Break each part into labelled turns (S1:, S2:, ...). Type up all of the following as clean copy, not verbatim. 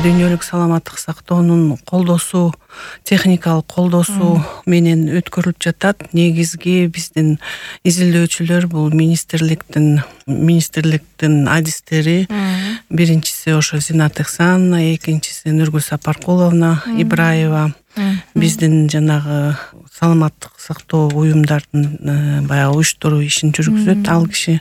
S1: дүйнөлүк саламаттык сактоонун колдоосу, техникалык колдоосу менен өткөрүлүп жатат. Негизги биздин изилдөөчүлөр бул министрликтин адистери. Биринчиси ошо Зинат Ихсановна, экинчиси Нургүл Сапаркуловна Ибраева. Биздин жанагы саламаттык сактоо уюмдардын баягы уюштуруу ишин жүргүзөт ал киши.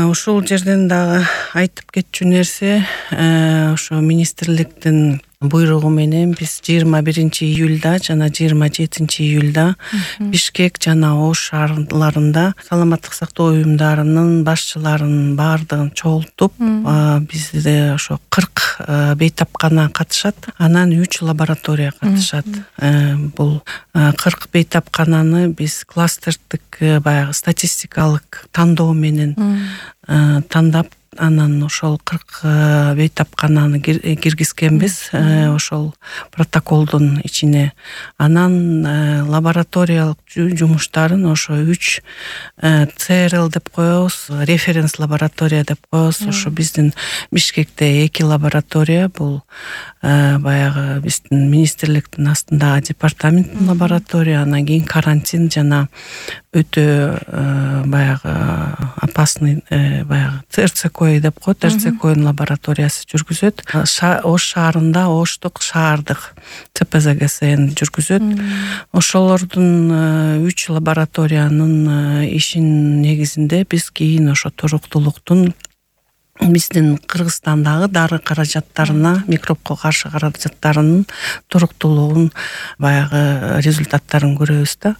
S1: Ушул жерден дагы айтып кетчү нерсе, ошо министрликтин буйругу менен биз 21-июлда жана 27-июлда Бишкек жана Ош шаарларында саламаттык сактоо уюмдарынын башчыларын баардыгын чогултуп, бизде ошо 40 бейтапкана катышат, анан 3 лаборатория катышат. Бул 40 бейтапкананы биз кластердик баягы статистикалык тандоо менен тандап, анан ошол 40 бейтапкананы киргизгенбиз ошол протоколдун ичине. Анан лабораториялык жумуштарын ошо 3 ЦРЛ деп коебуз, референс лаборатория деп коебуз. Ошо биздин Бишкекте 2 лаборатория, бул баягы биздин министрликтин астындагы департаменттин лаборатория, анан кийин карантин жана өтө баягы опасный баягы РЦК деп коет, РЦКнын лабораториясы жүргүзөт. Ош шаарында Оштук шаардык ЦПЗГСН жүргүзөт. Ошолордун 3 лабораториянын ишин негизинде биз кийин ошо туруктуулуктун биздин Кыргызстандагы дары каражаттарына, микробко каршы каражаттарынын туруктуулугун баягы результаттарын көрөбүз да.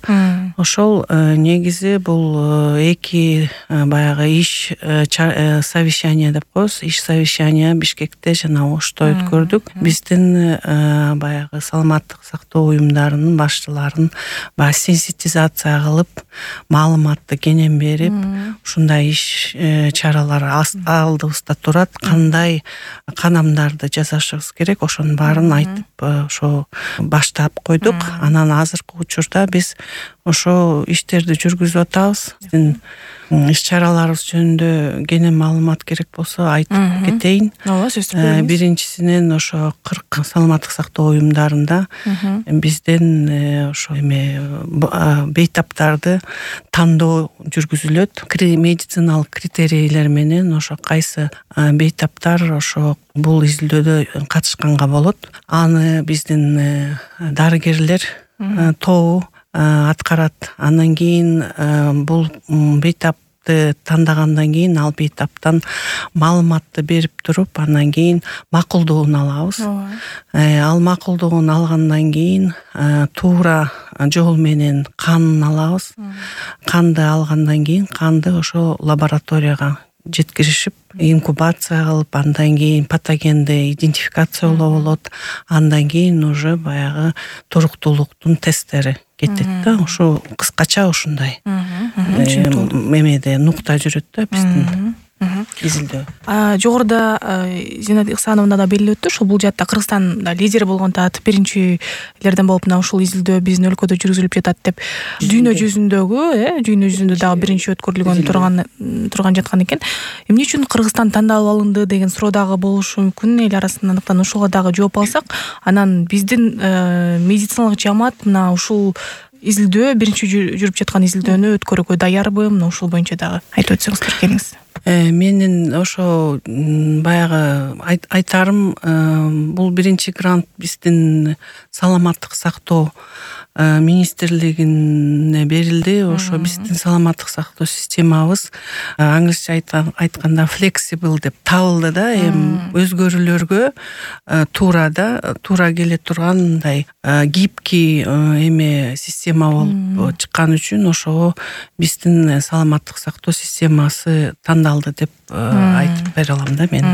S1: Ошол негизи бул 2 баягы иш совещание деп коебуз. Иш совещание Бишкекте жана Ошто өткөрдүк. Биздин баягы саламаттык сактоо уюмдарынын башчыларын баягы сенситизация кылып, маалыматты кенен берип, ушундай иш чаралар алдыбызда турат, кандай канамдарды жасашыбыз керек, ошонун баарын айтып ошо баштап койдук. Анан азыркы учурда биз ошо иштерди жүргүзүп атабыз. Биздин иш-чараларыбыз жөнүндө кенен маалымат керек болсо айтып кетейин.
S2: Ооба, сөз бериңиз.
S1: Биринчисинен ошо 40 саламаттык сактоо уюмдарында бизден ошо бейтаптарды тандоо жүргүзүлөт. Медициналык критерийлер менен ошо кайсы бейтаптар ошо бул изилдөөдө катышканга болот. Аны биздин дарыгерлер тобу аткарат. Андан кийин бул бейтапты тандагандан кийин ал бейтаптан маалыматты берип туруп, андан кийин макулдугун алабыз. Ал макулдугун алгандан кийин туура жол менен канын алабыз. Канды алгандан кийин канды ошо лабораторияга жеткиришип, инкубация кылып, андан кийин патогенди идентификациялоо болот. Андан кийин уже баягы туруктуулуктун тесттери кетет да. Ошо кыскача ушундай мемеде нукта жүрөт да биздин изилдөө.
S2: Жогоруда Зинат Ихсановна да белгилеп өттү, ошол бул жаатта Кыргызстан лидер болгон таат биринчилерден болуп мына ушул изилдөө биздин өлкөдө жүргүзүлүп жатат деп. Дүйнө жүзүндө дагы биринчи өткөрүлгөн турган жаткан экен. Эмне үчүн Кыргызстан тандалып алынды деген суроо дагы болушу мүмкүн эл арасында. Андыктан ошого дагы жооп алсак, анан биздин медициналык жамаат мына ушул изилдөө, биринчи жүрүп жаткан изилдөөнү өткөрүүгө даярбы? Мына ушул боюнча дагы айтып өтсөңүз келиңиз.
S1: Менин ошо баягы айтарым, бул биринчи грант биздин саламаттык сактоо министрлигине берилди. Ошо биздин саламаттык сактоо системабыз англисче айтканда flexible деп табылды да. Эми өзгөрүүлөргө туура келе тургандай гибкий система болуп чыккан үчүн ошого биздин саламаттык сактоо системасы тандалды деп айтып бере алам да мен.